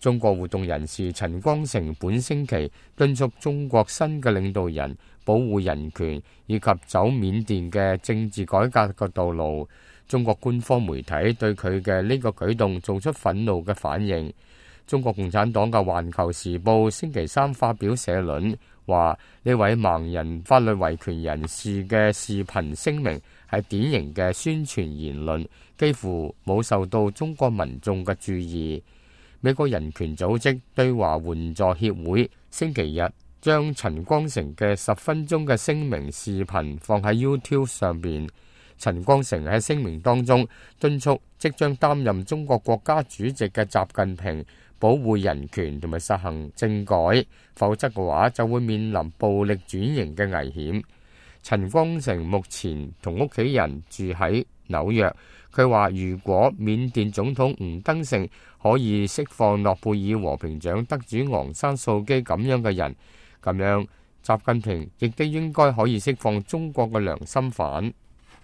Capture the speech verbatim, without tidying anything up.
中國活動人士陳光誠本星期敦促中國新嘅領導人保護人權以及走緬甸嘅政治改革嘅道路。中國官方媒體對佢嘅呢個舉動做出憤怒嘅反應。中國共產黨嘅《環球時報》星期三發表社論，話呢位盲人法律維權人士嘅視頻聲明係典型嘅宣傳言論，幾乎冇受到中國民眾嘅注意。美國人權組織對華援助協會星期日將陳光誠嘅十分鐘嘅聲明視頻放喺 YouTube 上邊。陳光誠喺聲明當中敦促即將擔任中國國家主席嘅習近平保護人權同埋實行政改，否則嘅話就會面臨暴力轉型嘅危險。陳光誠目前同屋企人住喺紐約，佢話如果緬甸總統吳登盛可以釋放諾貝爾和平獎得主昂山素姬咁樣嘅人，咁樣習近平亦都應該可以釋放中國嘅良心犯。